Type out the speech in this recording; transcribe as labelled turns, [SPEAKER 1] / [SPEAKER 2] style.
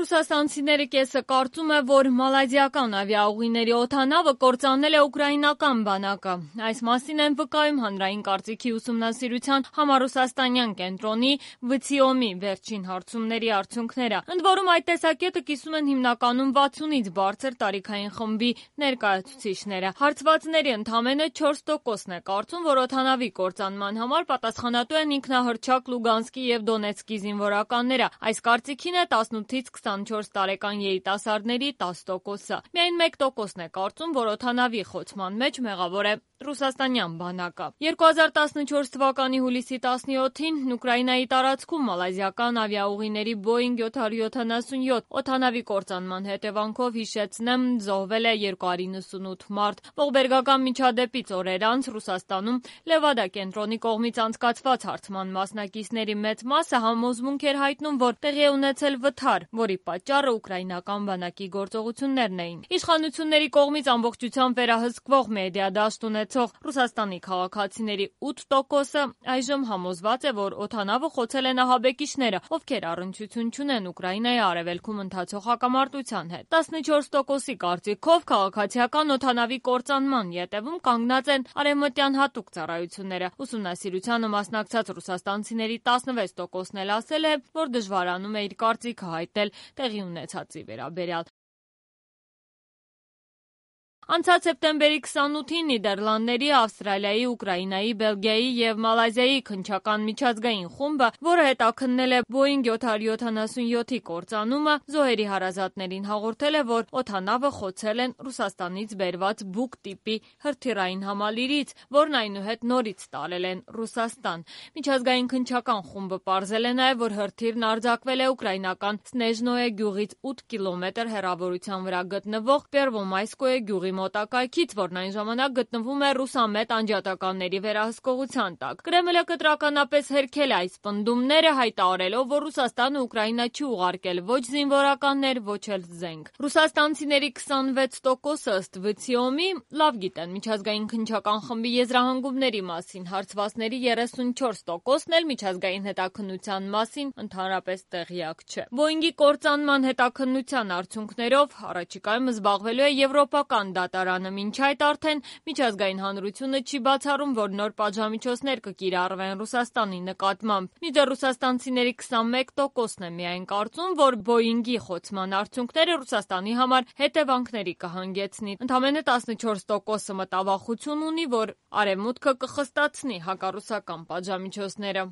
[SPEAKER 1] Ռուսաստանցիների կեսը կարծում է, որ մալազիական ավիաուղիների օդանավը կործանել է ուկրաինական բանակը։ Այս մասին են վկայում հանրային կարծիքի ուսումնասիրության համառուսաստանյան կենտրոնի ՎՑԻՕՄ-ի վերջին հարցումների արդյունքները։ Ընդ որում այդ տեսակետը կիսում են հիմնականում 60-ից բարձր տարիքային խմբի ներկայացուցիչները։ Հարցվածների ընդամենը 4%-ն է կարծում, որ օդանավի կործանման համար պատասխանատու են ինքնահռչակ Լուգանսկի և Դոնեցկի զինվորականները։ Այս կարծիքին է 18-ից 24 տարեկան երիտասարդների 10%-ը։ Միայն 1%-ն է կարծում, որ օդանավի խոցման մեջ մեղավոր է ռուսաստանյան բանակը։ 2014 թվականի հուլիսի 17-ին Ուկրաինայի տարածքում մալազիական ավիաուղիների Boeing 777 օդանավի կործանման հետևանքով հիշեցնեմ զոհվել է 298 մարդ։ Ողբերգական միջադեպից օրեր անց Ռուսաստանում Լևադա կենտրոնի կողմից անցկացված հարցման մասնակիցների մեծ մասը համոզմունք էր հայտնում, որ տեղի է ունեցել վթար, որի պատճառը ուկրաինական բանակի գործողություններն էին։ Իշխանությունների կողմից ամբողջությամբ վերահսկվող մեդիա դաշտ ունեցող Ռուսաստանի քաղաքացիների 8%-ը այժմ համոզված է, որ օդանավը խոցել են ահաբեկիչները, ովքեր առնչություն չունեն Ուկրաինայի արևելքում ընթացող հակամարտության հետ։ 14%-ի կարծիքով քաղաքացիական օդանավի կործանման ետևում կանգնած են արևմտյան հատուկ ծառայությունները։ Ուսումնասիրությանը մասնակցած ռուսաստանցիների 16%-ն էլ ասել է, որ դժվարանում է իր կարծիքը հայտնել տեղի ունեցածի վերաբերյալ։ Անցած սեպտեմբերի 28-ին Նիդերլանդների, Ավստրալիայի, Ուկրաինայի, Բելգիայի և Մալազիայի քննչական միջազգային խումբը, որը հետաքննել է Boeing 777-ի կործանումը, զոհերի հարազատներին հաղորդել է, որ օդանավը խոցել են Ռուսաստանից բերված Buk տիպի հրթիռային համալիրից, որն այնուհետ նորից տարել են Ռուսաստան։ Միջազգային քննչական խումբը պարզել է նաև, որ հրթիռն արձակվել է ուկրաինական Սնեժնոե գյուղից 8 կիլոմետր հեռավորության վրա գտնվող Պերվոմայսկոե գյուղի մոտակայքից, որն այն ժամանակ գտնվում է ռուսամետ անջատականների վերահսկողության տակ։ Կրեմլը կտրականապես հերքել է այս պնդումները, հայտարարելով, որ Ռուսաստանը Ուկրաինա չի ուղարկել ոչ զինվորականներ, ոչ էլ զենք։ Ռուսաստանցիների 26%-ը ըստ ՎՑԻՕՄ-ի լավ գիտեն միջազգային քննչական խմբի եզրահանգումների մասին, հարցվածների 34%-ն էլ միջազգային հետաքննության մասին ընդհանրապես տեղյակ չէ։ Boeing-ի կործանման հետաքննության արդյունքներով առաջիկայում զբաղվելու է եվրոպական դատարանը։ Մինչ այդ արդեն միջազգային հանրությունը չի բացառում, որ նոր պատժամիջոցներ կկիրառվեն Ռուսաստանի նկատմամբ։ Մինչդեռ ռուսաստանցիների 21%-ն է միայն կարծում, որ Boeing-ի խոցման արդյունքները Ռուսաստանի համար հետևանքների կհանգեցնի։ Ընդամենը 14%-ը մտավախություն ունի, որ Արևմուտքը կխստացնի հակառուսական պատժամիջոցները։